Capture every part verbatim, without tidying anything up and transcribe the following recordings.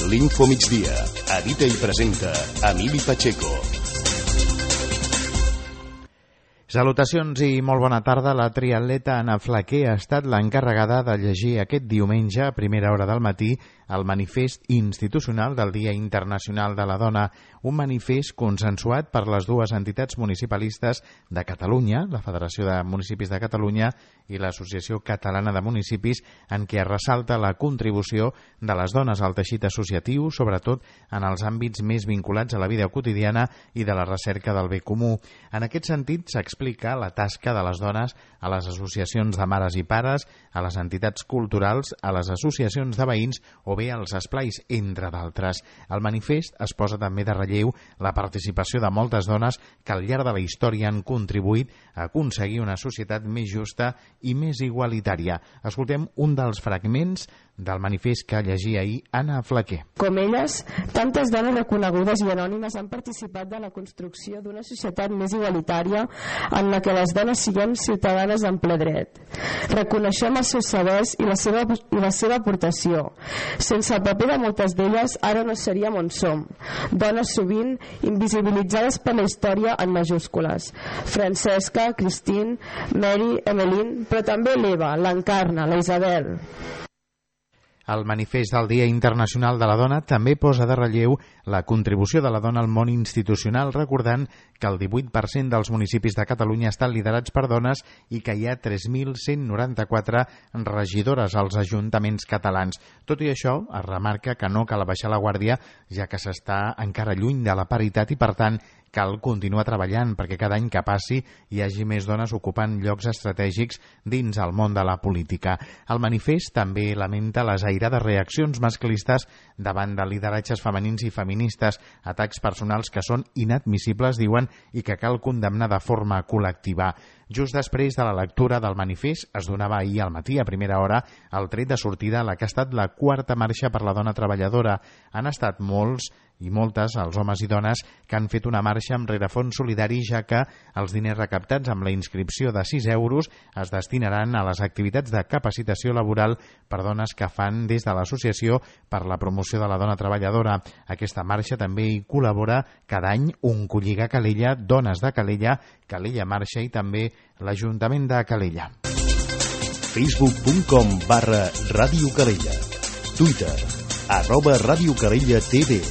L'Info Migdia. Edita i presenta Emili Pacheco. Salutacions i molt bona tarda. La triatleta Anna Flaquer ha estat l'encarregada de llegir aquest diumenge a primera hora del matí el manifest institucional del Dia Internacional de la Dona, un manifest consensuat per les dues entitats municipalistes de Catalunya, la Federació de Municipis de Catalunya i l'Associació Catalana de Municipis, en què es ressalta la contribució de les dones al teixit associatiu, sobretot en els àmbits més vinculats a la vida quotidiana i de la recerca del bé comú. En aquest sentit, s'explica la tasca de les dones a les associacions de mares i pares, a les entitats culturals, a les associacions de veïns o bé als esplais, entre d'altres. Al manifest es posa també de relleu la participació de moltes dones que al llarg de la història han contribuït a aconseguir una societat més justa i més igualitària. Escoltem un dels fragments del manifest que llegia ahir Anna Flaquer. Com elles, tantes dones reconegudes i anònimes han participat de la construcció d'una societat més igualitària en la que les dones siguem ciutadanes en ple dret. Reconeixem els seus sabers i la seva, i la seva aportació. Sense el paper de moltes d'elles, ara no seríem on som. Dones sovint invisibilitzades per la història en majúscules. Francesca, Christine, Mary, Emeline, però també l'Eva, l'Encarna, la Isabel. El manifest del Dia Internacional de la Dona també posa de relleu la contribució de la dona al món institucional, recordant que el divuit per cent dels municipis de Catalunya estan liderats per dones i que hi ha tres mil cent noranta-quatre regidores als ajuntaments catalans. Tot i això, es remarca que no cal baixar la guàrdia, ja que s'està encara lluny de la paritat i, per tant, cal continuar treballant perquè cada any que passi hi hagi més dones ocupant llocs estratègics dins el món de la política. El manifest també lamenta les airades reaccions masclistes davant de lideratges femenins i feministes, atacs personals que són inadmissibles, diuen, i que cal condemnar de forma col·lectiva. Just després de la lectura del manifest es donava ahir al matí, a primera hora, el tret de sortida a la que ha estat la quarta marxa per la dona treballadora. Han estat molts i moltes, els homes i dones, que han fet una marxa amb rerefons solidari, ja que els diners recaptats amb la inscripció de sis euros es destinaran a les activitats de capacitació laboral per dones que fan des de l'Associació per la Promoció de la Dona Treballadora. Aquesta marxa també hi col·labora cada any un Colliga Calella, Dones de Calella, Calella Marxa i també l'Ajuntament de Calella. facebook punt com barra Ràdio Calella. Twitter, arroba Ràdio Calella T V.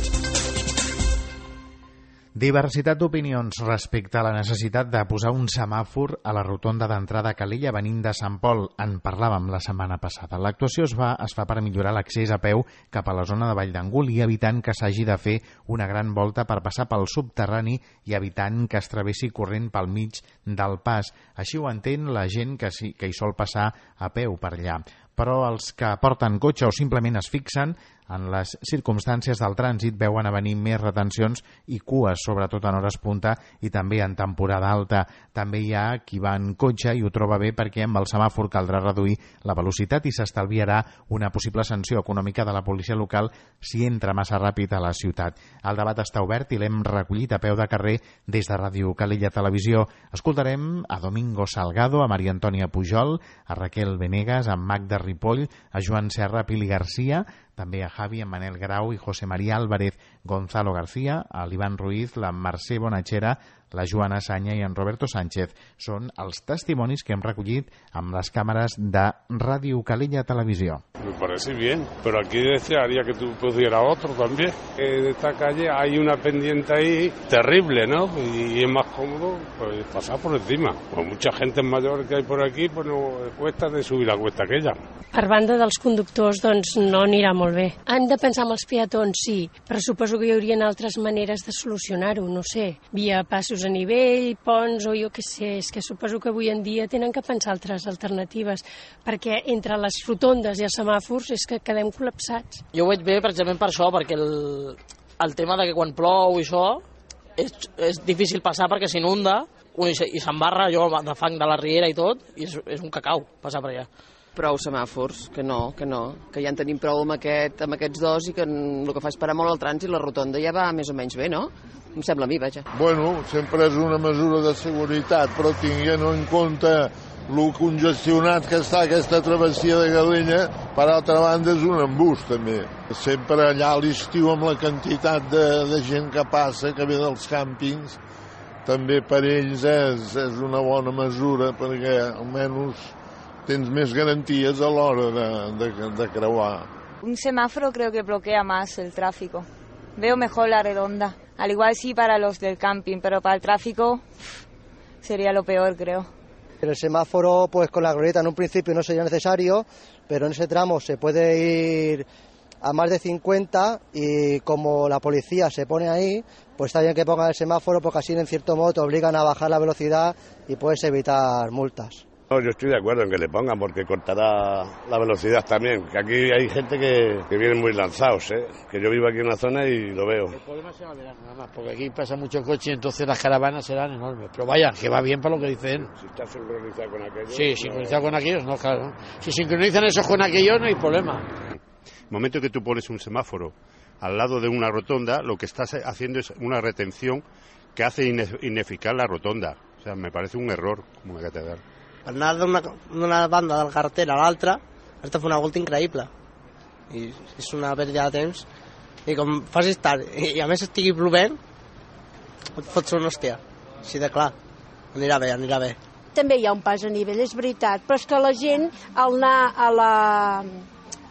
Diversitat d'opinions respecte a la necessitat de posar un semàfor a la rotonda d'entrada a Calella venint de Sant Pol. En parlàvem la setmana passada. L'actuació es fa, es fa per millorar l'accés a peu cap a la zona de Vall d'Angul i evitant que s'hagi de fer una gran volta per passar pel subterrani i evitant que es travessi corrent pel mig del pas. Així ho entén la gent que, sí, que hi sol passar a peu per allà. Però els que porten cotxe o simplement es fixen en les circumstàncies del trànsit veuen a venir més retencions i cues, sobretot en hores punta i també en temporada alta. També hi ha qui va en cotxe i ho troba bé perquè amb el semàfor caldrà reduir la velocitat i s'estalviarà una possible sanció econòmica de la policia local si entra massa ràpid a la ciutat. El debat està obert i l'hem recollit a peu de carrer des de Ràdio Calella Televisió. Escoltarem a Domingo Salgado, a Maria Antònia Pujol, a Raquel Venegas, a Magda Ripoll, a Joan Serra, a Pili Garcia, també a Javi, a Manel Grau i José María Álvarez, Gonzalo García, a l'Ivan Ruiz, la Mercè Bonachera, la Joana Sanya i en Roberto Sánchez. Són els testimonis que hem recollit amb les càmeres de Ràdio Calella Televisió. Me parece bien, pero aquí desearía que tú pusieras otro también. En esta calle hay una pendiente ahí terrible, ¿no? Y es más cómodo pues, pasar por encima. Pues mucha gente mayor que hay por aquí, pues no cuesta de subir la cuesta aquella. Per banda dels conductors, doncs no anirà molt bé. Han de pensar en els peatons, sí, però suposo que hi haurien altres maneres de solucionar-ho, no sé, via passos a nivell, ponts o jo què sé, és que suposo que avui en dia tenen que pensar altres alternatives, perquè entre les rotondes i els semàfors és que quedem col·lapsats. Jo ho veig bé precisament per això, perquè el, el tema de que quan plou i això és, és difícil passar perquè s'inunda i s'embarra allò de fang de la riera i tot, i és, és un cacau passar per allà. Prou semàfors, que no, que no, que ja en tenim prou amb, aquest, amb aquests dos i que el que fa és parar molt el trànsit, la rotonda ja va més o menys bé, no? Em sembla a mi, vaja. Bueno, sempre és una mesura de seguretat, però tinguent en compte lo congestionat que està aquesta travessia de Calella, per altra banda és un embús també. Sempre allà a l'estiu amb la quantitat de, de gent que passa, que ve dels càmpings, també per ells és, és una bona mesura perquè almenys tens més garanties a l'hora de, de, de creuar. Un semáforo creo que bloquea más el tráfico. Veo mejor la redonda. Al igual sí para los del camping, pero para el tráfico sería lo peor, creo. El semáforo, pues con la glorieta en un principio no sería necesario, pero en ese tramo se puede ir a más de cincuenta y como la policía se pone ahí, pues está bien que pongan el semáforo porque así en cierto modo te obligan a bajar la velocidad y puedes evitar multas. No, yo estoy de acuerdo en que le pongan porque cortará la velocidad también, que aquí hay gente que, que viene muy lanzados, ¿eh? Que yo vivo aquí en la zona y lo veo. El problema será el verano nada más, porque aquí pasa mucho coche y entonces las caravanas serán enormes. Pero vaya, que va bien para lo que dicen. Si está sincronizado con aquellos... Sí, no... sincronizado con aquellos, no, claro. Si sincronizan esos con aquellos no hay problema. El momento que tú pones un semáforo al lado de una rotonda, lo que estás haciendo es una retención que hace ineficaz la rotonda. O sea, me parece un error como una catedral. Anar d'una banda de la carretera a l'altra has de fer una volta increïble i és una pèrdua de temps i com facis tard i a més estigui plovent et fots una hòstia, així de clar, anirà bé, anirà bé. També hi ha un pas a nivell, és veritat, però és que la gent al anar a la,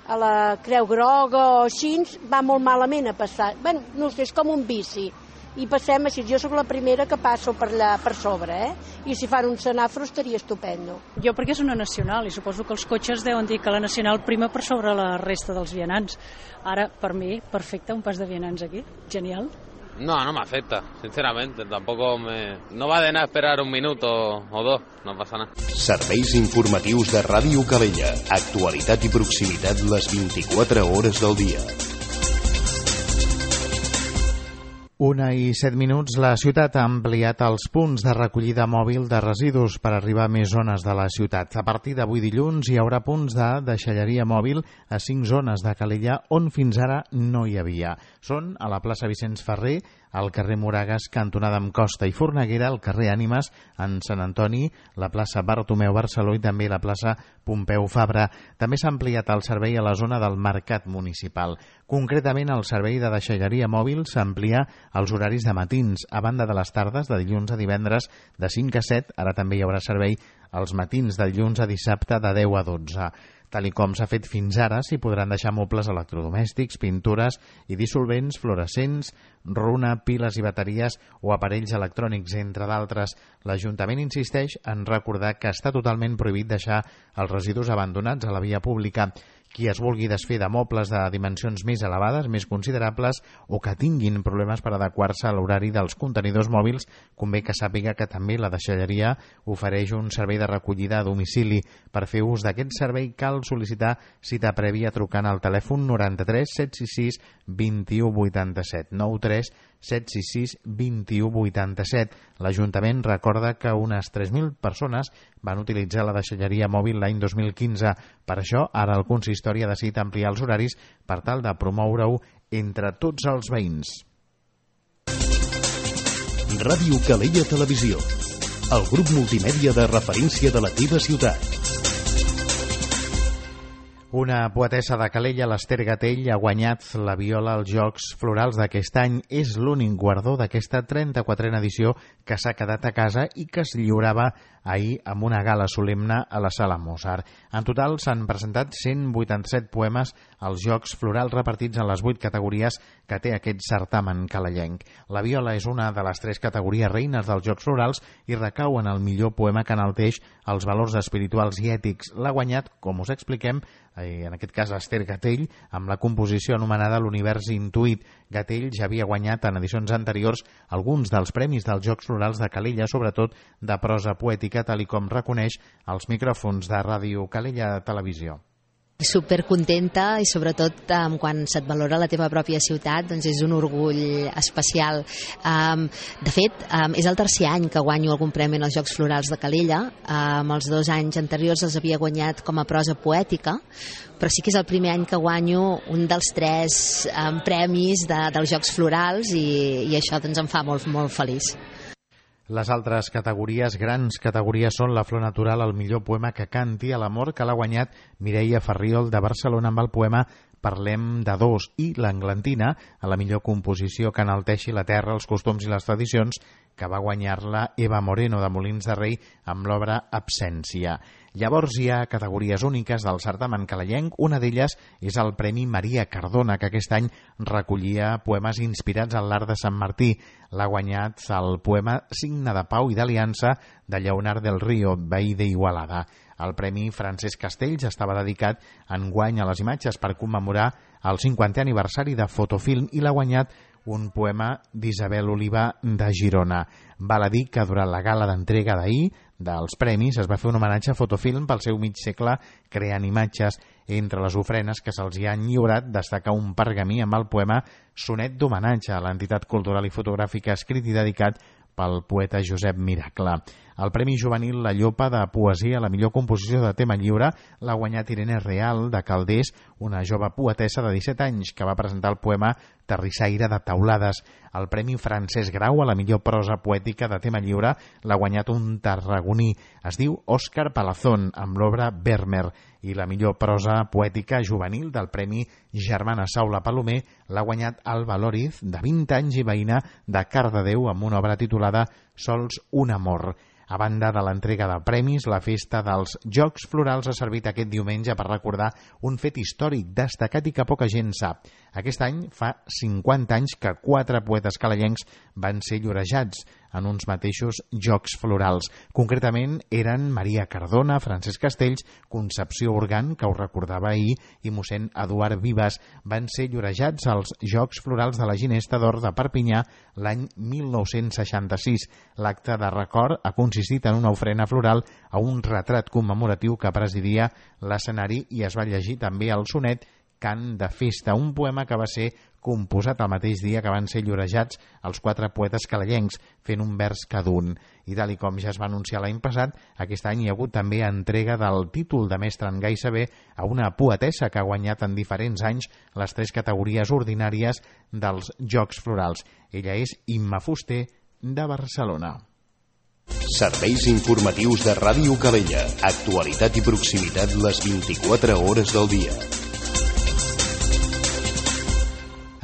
a la Creu Groga o així va molt malament a passar, bé, no sé, és com un bici i passem així, jo sóc la primera que passo per allà per sobre, eh? I si fan un semàfor estaria estupendo. Jo perquè és una nacional i suposo que els cotxes deuen dir que la nacional prima per sobre la resta dels vianants. Ara, per mi, perfecte, un pas de vianants aquí, genial. No, no me afecta, sinceramente, tampoco me... No va de nada esperar un minuto o dos, no pasa nada. Serveis informatius de Ràdio Calella, actualitat i proximitat les vint-i-quatre hores del dia. Una i set minuts, la ciutat ha ampliat els punts de recollida mòbil de residus per arribar a més zones de la ciutat. A partir d'avui dilluns hi haurà punts de deixalleria mòbil a cinc zones de Calella on fins ara no hi havia. Són a la plaça Vicenç Ferrer, al carrer Moragas, cantonada amb Costa i Forneguera, al carrer Ànimes, en Sant Antoni, la plaça Bartomeu Barceló i també la plaça Pompeu Fabra. També s'ha ampliat el servei a la zona del Mercat Municipal. Concretament, el servei de deixalleria mòbil s'amplia als horaris de matins, a banda de les tardes, de dilluns a divendres, de cinc a set. Ara també hi haurà servei als matins, de dilluns a dissabte, de deu a dotze. Tal i com s'ha fet fins ara, s'hi podran deixar mobles electrodomèstics, pintures i dissolvents, fluorescents, runa, piles i bateries o aparells electrònics, entre d'altres. L'Ajuntament insisteix en recordar que està totalment prohibit deixar els residus abandonats a la via pública. Qui es vulgui desfer de mobles de dimensions més elevades, més considerables, o que tinguin problemes per adequar-se a l'horari dels contenidors mòbils, convé que sàpiga que també la deixalleria ofereix un servei de recollida a domicili. Per fer ús d'aquest servei cal sol·licitar cita prèvia trucant al telèfon noranta-tres set sis sis vint u vuitanta-set, nou tres set sis sis vint u vuitanta-set. L'Ajuntament recorda que unes tres mil persones van utilitzar la deixalleria mòbil l'any dos mil quinze. Per això, ara el consistori ha decidit ampliar els horaris per tal de promoure-ho entre tots els veïns. Ràdio Calella Televisió, el grup multimèdia de referència de la teva ciutat. Una poetessa de Calella, l'Ester Gatell, ha guanyat la viola als Jocs Florals d'aquest any. És l'únic guardó d'aquesta trenta-quatrena edició que s'ha quedat a casa i que es lliurava ahir amb una gala solemne a la Sala Mozart. En total s'han presentat cent vuitanta-set poemes als Jocs Florals repartits en les vuit categories que té aquest certamen calellenc. La viola és una de les tres categories reines dels Jocs Florals i recau en el millor poema que enalteix els valors espirituals i ètics. L'ha guanyat, com us expliquem, en aquest cas Esther Gatell, amb la composició anomenada L'univers intuït. Gatell ja havia guanyat en edicions anteriors alguns dels premis dels Jocs Florals de Calella, sobretot de prosa poètica, tal i com reconeix als micròfons de Ràdio Calella Televisió. Supercontenta i sobretot um, quan se't valora la teva pròpia ciutat, doncs és un orgull especial. Um, de fet, um, és el tercer any que guanyo algun premi als Jocs Florals de Calella. Um, els dos anys anteriors els havia guanyat com a prosa poètica, però sí que és el primer any que guanyo un dels tres um, premis de, dels Jocs Florals i, i això doncs, em fa molt, molt feliç. Les altres categories, grans categories, són la Flor Natural, el millor poema que canti, a l'amor, que l'ha guanyat Mireia Farriol de Barcelona amb el poema Parlem de dos, i l'Englantina, a la millor composició que enalteixi la terra, els costums i les tradicions, que va guanyar-la Eva Moreno de Molins de Rei amb l'obra Absència. Llavors hi ha categories úniques del certamen calalenc. Una d'elles és el Premi Maria Cardona, que aquest any recollia poemes inspirats en l'art de Sant Martí. L'ha guanyat el poema Signe de Pau i d'Aliança de Lleonard del Río, veí d'Igualada. El Premi Francesc Castells estava dedicat enguany a les imatges per commemorar el cinquantè aniversari de Fotofilm i l'ha guanyat un poema d'Isabel Oliva de Girona. Val a dir que durant la gala d'entrega d'ahir dels premis es va fer un homenatge a Fotofilm pel seu mig segle creant imatges. Entre les ofrenes que se'ls hi han lliurat destaca un pergamí amb el poema Sonet d'homenatge a l'entitat cultural i fotogràfica escrit i dedicat pel poeta Josep Miracle. El Premi Juvenil La Llopa de Poesia a la millor composició de tema lliure l'ha guanyat Irene Real de Calders, una jove poetessa de disset anys que va presentar el poema Terrissaire de Taulades. El Premi Francesc Grau a la millor prosa poètica de tema lliure l'ha guanyat un tarragoní. Es diu Òscar Palazón amb l'obra Vermeer, i la millor prosa poètica juvenil del Premi Germana Saula Palomer l'ha guanyat Alba Lóriz, de vint anys i veïna de Cardedeu, amb una obra titulada Sols un amor. A banda de l'entrega de premis, la festa dels Jocs Florals ha servit aquest diumenge per recordar un fet històric destacat i que poca gent sap. Aquest any fa cinquanta anys que quatre poetes calalencs van ser llorejats en uns mateixos Jocs Florals. Concretament eren Maria Cardona, Francesc Castells, Concepció Organ, que ho recordava ahir, i mossèn Eduard Vives. Van ser llorejats als Jocs Florals de la Ginesta d'Or de Perpinyà l'any mil nou-cents seixanta-sis. L'acte de record ha consistit en una ofrena floral a un retrat commemoratiu que presidia l'escenari, i es va llegir també el sonet Cant de Festa, un poema que va ser composat el mateix dia que van ser llorejats els quatre poetes calalencs, fent un vers cada un. I tal i com ja es va anunciar l'any passat, aquest any hi ha hagut també entrega del títol de mestre en gai saber a una poetessa que ha guanyat en diferents anys les tres categories ordinàries dels Jocs Florals. Ella és Imma Fuster, de Barcelona. Serveis informatius de Ràdio Calella. Actualitat i proximitat les vint-i-quatre hores del dia.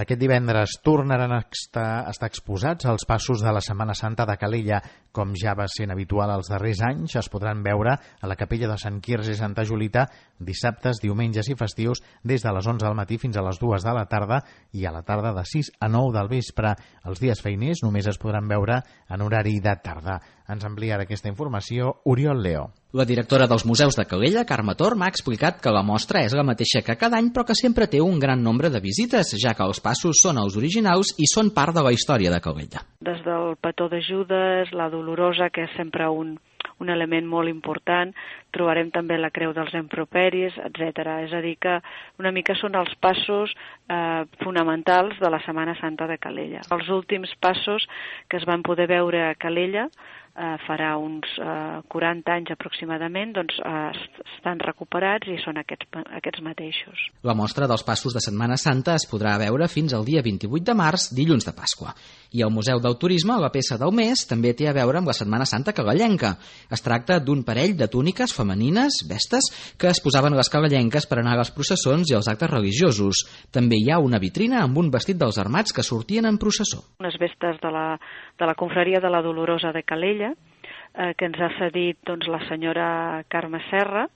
Aquest divendres tornaran a estar, estar exposats els passos de la Setmana Santa de Calella. Com ja va sent habitual els darrers anys, es podran veure a la capella de Sant Quirze i Santa Julita dissabtes, diumenges i festius des de les onze del matí fins a les dues de la tarda, i a la tarda de sis a nou del vespre. Els dies feiners només es podran veure en horari de tarda. Ens amplia aquesta informació Oriol Leo. La directora dels Museus de Calella, Carme Tor, m'ha explicat que la mostra és la mateixa que cada any, però que sempre té un gran nombre de visites, ja que els passos són els originals i són part de la història de Calella. Des del petó de Judes, la Dolorosa, que és sempre un, un element molt important, trobarem també la Creu dels Improperis, etcètera. És a dir, que una mica són els passos eh, fonamentals de la Setmana Santa de Calella. Els últims passos que es van poder veure a Calella Uh, farà uns uh, quaranta anys aproximadament, doncs uh, estan recuperats i són aquests, aquests mateixos. La mostra dels passos de Setmana Santa es podrà veure fins al dia vint-i-vuit de març, dilluns de Pasqua. I al Museu del Turisme, la peça del mes, també té a veure amb la Setmana Santa calellenca. Es tracta d'un parell de túniques femenines, vestes, que es posaven les calellenques per anar a les processons i als actes religiosos. També hi ha una vitrina amb un vestit dels armats que sortien en processó. Unes vestes de la, de la confraria de la Dolorosa de Calella, eh, que ens ha cedit doncs, la senyora Carme Serra,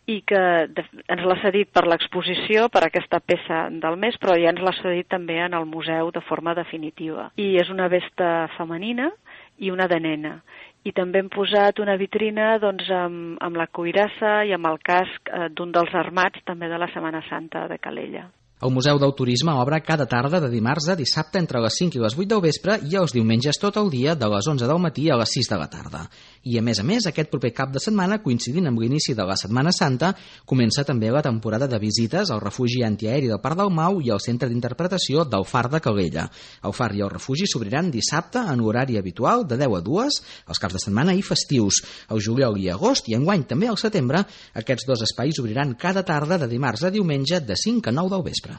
i que de, ens l'ha cedit per l'exposició, per aquesta peça del mes, però ja ens l'ha cedit també en el museu de forma definitiva. I és una vesta femenina i una de nena. I també hem posat una vitrina doncs, amb, amb la cuirassa i amb el casc eh, d'un dels armats també de la Setmana Santa de Calella. El Museu del Turisme obre cada tarda de dimarts a dissabte entre les cinc i les vuit del vespre i els diumenges tot el dia de les onze del matí a les sis de la tarda. I a més a més, aquest proper cap de setmana, coincidint amb l'inici de la Setmana Santa, comença també la temporada de visites al refugi antiaeri del Parc del Mau i al centre d'interpretació del Far de Calella. El Far i el refugi s'obriran dissabte en l'horari habitual de deu a dues, els caps de setmana i festius. Al juliol i agost i enguany també al setembre, aquests dos espais obriran cada tarda de dimarts a diumenge de cinc a nou del vespre.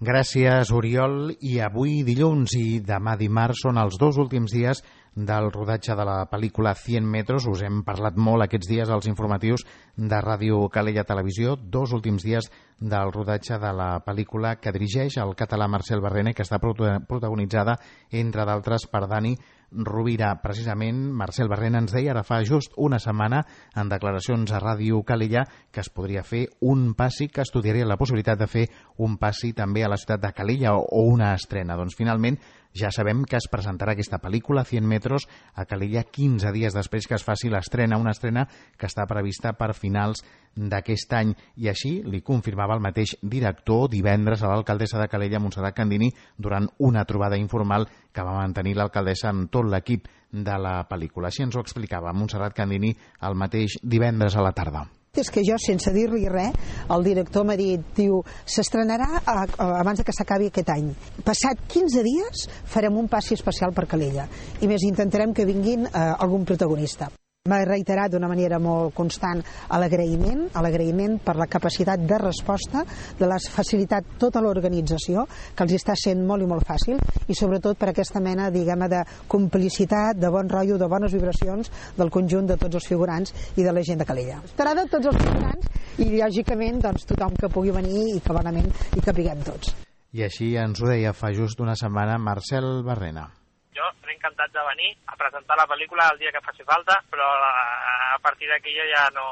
Gràcies, Oriol. I avui dilluns i demà dimarts són els dos últims dies del rodatge de la pel·lícula cent metros. Us hem parlat molt aquests dies als informatius de Ràdio Calella Televisió, dos últims dies del rodatge de la pel·lícula que dirigeix el català Marcel Barrena, que està protagonitzada, entre d'altres, per Dani Rovira. Precisament, Marcel Barrena ens deia ara fa just una setmana en declaracions a Ràdio Calella que es podria fer un passi, que estudiaria la possibilitat de fer un passi també a la ciutat de Calella o una estrena. Doncs finalment ja sabem que es presentarà aquesta pel·lícula, cent metros, a Calella quinze dies després que es faci l'estrena, una estrena que està prevista per finals d'aquest any. I així li confirmava el mateix director divendres a l'alcaldessa de Calella, Montserrat Candini, durant una trobada informal que va mantenir l'alcaldessa amb tot l'equip de la pel·lícula. Així ens ho explicava Montserrat Candini el mateix divendres a la tarda. És que jo, sense dir-li res, el director m'ha dit, diu, s'estrenarà abans de que s'acabi aquest any. Passat quinze dies farem un passi especial per Calella i més intentarem que vinguin eh, algun protagonista. M'ha reiterat d'una manera molt constant l'agraïment, l'agraïment per la capacitat de resposta, de la facilitat tota l'organització, que els està sent molt i molt fàcil, i sobretot per aquesta mena, diguem-ne, de complicitat, de bon rotllo, de bones vibracions del conjunt de tots els figurants i de la gent de Calella. Estarà de tots els figurants i, lògicament, doncs, tothom que pugui venir i que bonament i que viguem tots. I així ens ho deia fa just una setmana Marcel Barrena. Jo estaré encantat de venir a presentar la pel·lícula el dia que faci falta, però a partir d'aquí jo ja no...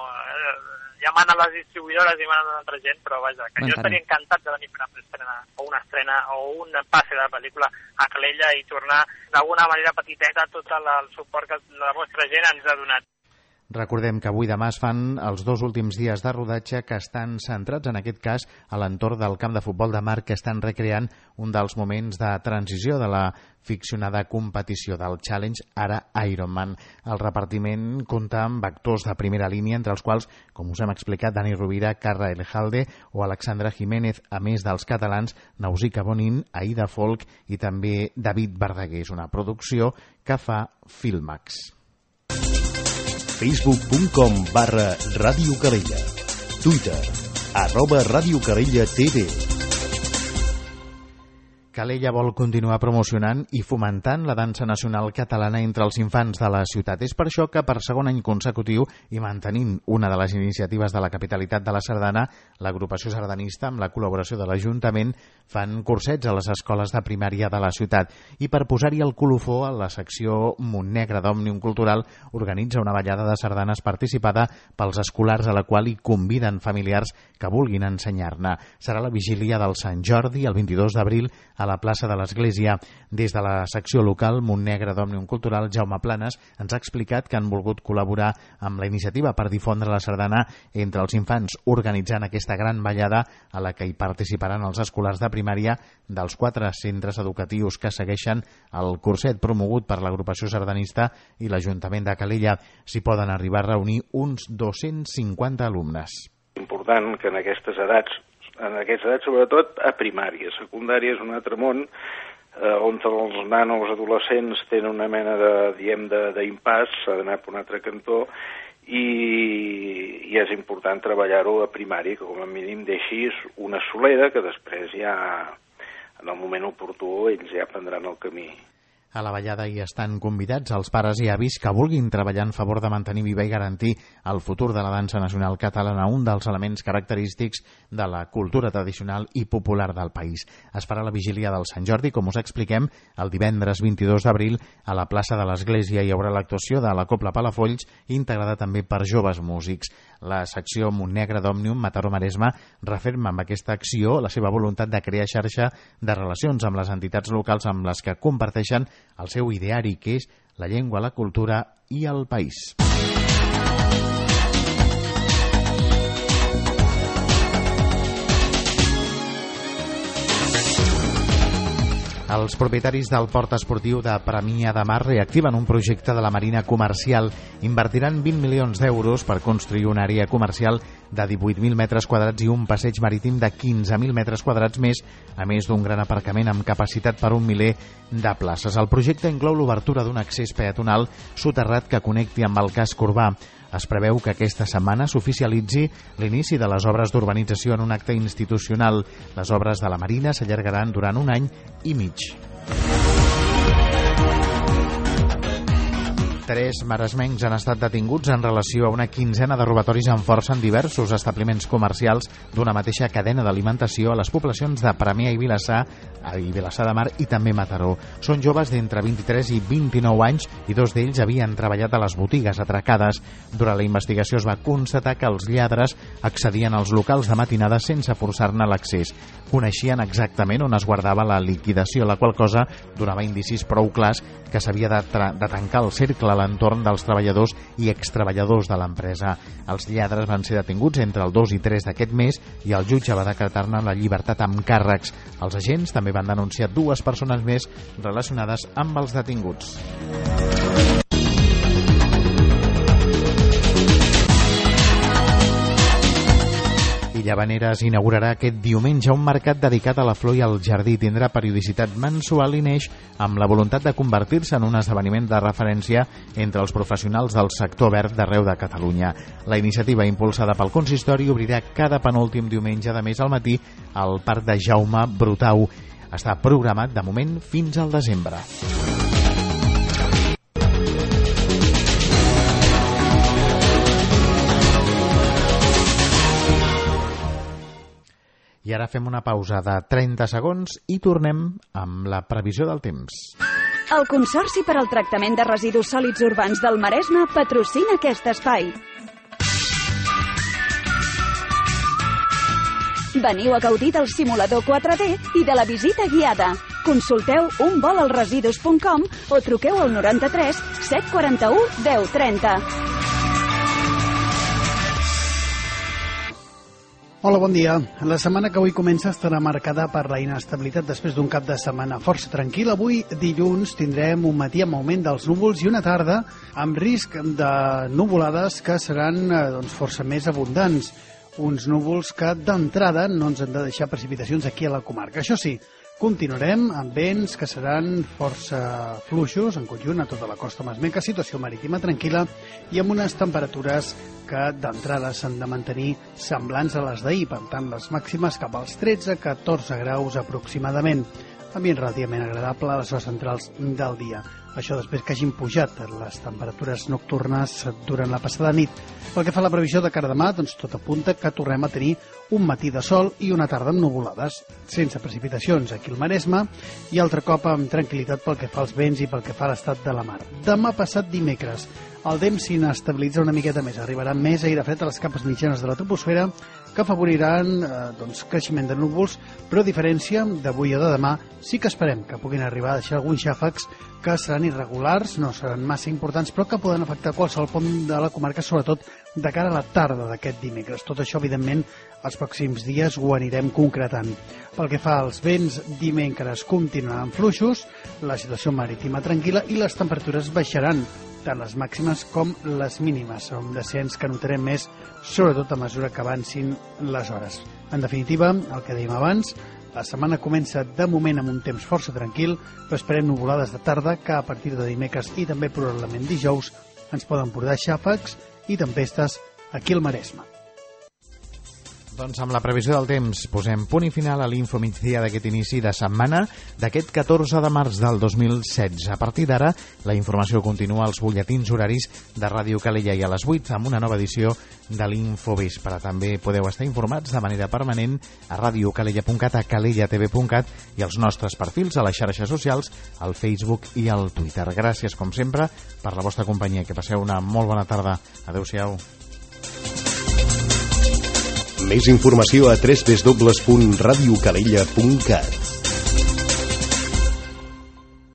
ja manen les distribuïdores i manen altra gent, però vaja, que jo estaria encantat de venir a fer una estrena o una estrena o un passe de la pel·lícula a Calella i tornar d'alguna manera petiteta tot el suport que la vostra gent ens ha donat. Recordem que avui demà es fan els dos últims dies de rodatge que estan centrats, en aquest cas, a l'entorn del camp de futbol de mar, que estan recreant un dels moments de transició de la ficcionada competició del Challenge, ara Ironman. El repartiment compta amb actors de primera línia, entre els quals, com us hem explicat, Dani Rovira, Carra Elejalde o Alexandra Jiménez, a més dels catalans Nausicaa Bonin, Aida Folk i també David Verdaguer. És una producció que fa Filmax. facebook punt com barra Ràdio Calella. Twitter, arroba Ràdio Calella T V. Calella vol continuar promocionant i fomentant la dansa nacional catalana entre els infants de la ciutat. És per això que per segon any consecutiu i mantenint una de les iniciatives de la capitalitat de la Sardana, l'agrupació sardanista, amb la col·laboració de l'Ajuntament, fan cursets a les escoles de primària de la ciutat. I per posar-hi el colofó, a la secció Montnegre d'Òmnium Cultural organitza una ballada de sardanes participada pels escolars, a la qual hi conviden familiars que vulguin ensenyar-ne. Serà la vigília del Sant Jordi, el vint-i-dos d'abril, a la plaça de l'Església. Des de la secció local Montnegre d'Òmnium Cultural, Jaume Planes ens ha explicat que han volgut col·laborar amb la iniciativa per difondre la sardana entre els infants, organitzant aquesta gran ballada a la que hi participaran els escolars de primària dels quatre centres educatius que segueixen el curset promogut per l'agrupació sardanista i l'Ajuntament de Calella. S'hi poden arribar a reunir uns dos-cents cinquanta alumnes. Important que en aquestes edats en aquestes edats, sobretot a primària. Secundària és un altre món eh, on els nanos adolescents tenen una mena de, diem, d'impàs, s'ha d'anar per un altre cantó, i, i és important treballar-ho a primària, que com a mínim deixis una solera que després ja, en el moment oportú, ells ja prendran el camí. A la ballada hi estan convidats els pares i avis que vulguin treballar en favor de mantenir viva i garantir el futur de la dansa nacional catalana, un dels elements característics de la cultura tradicional i popular del país. Es farà la vigília del Sant Jordi, com us expliquem, el divendres vint-i-dos d'abril a la plaça de l'Església. Hi haurà l'actuació de la Cobla Palafolls, integrada també per joves músics. La secció Montnegre d'Òmnium Mataró Maresme referma amb aquesta acció la seva voluntat de crear xarxa de relacions amb les entitats locals amb les que comparteixen el seu ideari, que és la llengua, la cultura i el país. Els propietaris del port esportiu de Premià de Mar reactiven un projecte de la Marina Comercial. Invertiran vint milions d'euros per construir una àrea comercial de divuit mil metres quadrats i un passeig marítim de quinze mil metres quadrats més, a més d'un gran aparcament amb capacitat per un miler de places. El projecte inclou l'obertura d'un accés peatonal soterrat que connecti amb el casc urbà. Es preveu que aquesta setmana s'oficialitzi l'inici de les obres d'urbanització en un acte institucional. Les obres de la Marina s'allargaran durant un any i mig. Tres maresmencs han estat detinguts en relació a una quinzena de robatoris amb força en diversos establiments comercials d'una mateixa cadena d'alimentació a les poblacions de Premià i Vilassar, i Vilassar de Mar i també Mataró. Són joves d'entre vint-i-tres i vint-i-nou anys i dos d'ells havien treballat a les botigues atracades. Durant la investigació es va constatar que els lladres accedien als locals de matinada sense forçar-ne l'accés. Coneixien exactament on es guardava la liquidació, la qual cosa donava indicis prou clars que s'havia de, de tancar el cercle a l'entorn dels treballadors i extreballadors de l'empresa. Els lladres van ser detinguts entre el dos i tres d'aquest mes i el jutge va decretar-ne la llibertat amb càrrecs. Els agents també van denunciar dues persones més relacionades amb els detinguts. I Llavaneres inaugurarà aquest diumenge un mercat dedicat a la flor i al jardí. Tindrà periodicitat mensual i neix amb la voluntat de convertir-se en un esdeveniment de referència entre els professionals del sector verd d'arreu de Catalunya. La iniciativa, impulsada pel consistori, obrirà cada penúltim diumenge de mes al matí al Parc de Jaume Brutau. Està programat de moment fins al desembre. I ara fem una pausa de trenta segons i tornem amb la previsió del temps. El Consorci per al Tractament de Residus Sòlids Urbans del Maresme patrocina aquest espai. Veniu a gaudir del simulador quatre D i de la visita guiada. Consulteu un vol al residus punt com o truqueu al noranta-tres set quaranta-u deu trenta. Hola, bon dia. La setmana que avui comença estarà marcada per la inestabilitat després d'un cap de setmana força tranquil. Avui, dilluns, tindrem un matí amb augment dels núvols i una tarda amb risc de nuvolades que seran doncs, força més abundants. Uns núvols que d'entrada no ens han de deixar precipitacions aquí a la comarca. Això sí, continuarem amb vents que seran força fluixos en conjunt a tota la costa maresmenca, situació marítima tranquil·la i amb unes temperatures que d'entrada s'han de mantenir semblants a les d'ahir, per tant les màximes cap als tretze a catorze graus aproximadament. Ambient relativament agradable a les hores centrals del dia. Això després que hagin pujat les temperatures nocturnes durant la passada nit. Pel que fa a la previsió de cara demà, doncs tot apunta que tornem a tenir un matí de sol i una tarda amb nuvolades, sense precipitacions aquí al Maresme i altre cop amb tranquil·litat pel que fa als vents i pel que fa a l'estat de la mar. Demà passat dimecres, el temps s'inestabilitza una miqueta més. Arribarà més aire fred a les capes mitjanes de la troposfera que afavoriran eh, doncs, creixement de núvols, però a diferència d'avui o de demà, sí que esperem que puguin arribar a deixar alguns xàfecs que seran irregulars, no seran massa importants, però que poden afectar qualsevol punt de la comarca, sobretot de cara a la tarda d'aquest dimecres. Tot això, evidentment, els pròxims dies ho anirem concretant. Pel que fa als vents, dimecres continuaran fluixos, la situació marítima tranquil·la i les temperatures baixaran, tant les màximes com les mínimes. Un descens que notarem més, sobretot a mesura que avancin les hores. En definitiva, el que dèiem abans, la setmana comença de moment amb un temps força tranquil, però esperem nuvolades de tarda que a partir de dimecres i també probablement dijous ens poden portar xàfecs i tempestes aquí al Maresme. Doncs amb la previsió del temps posem punt i final a l'info migdia d'aquest inici de setmana d'aquest catorze de març del dos mil setze. A partir d'ara, la informació continua als butlletins horaris de Ràdio Calella i a les vuit amb una nova edició de l'Infovespre. També podeu estar informats de manera permanent a radiocalella punt cat, a calella t v punt cat i als nostres perfils a les xarxes socials, al Facebook i al Twitter. Gràcies, com sempre, per la vostra companyia. Que passeu una molt bona tarda. Adéu-siau. Més informació a w w w punt radiocalella punt cat.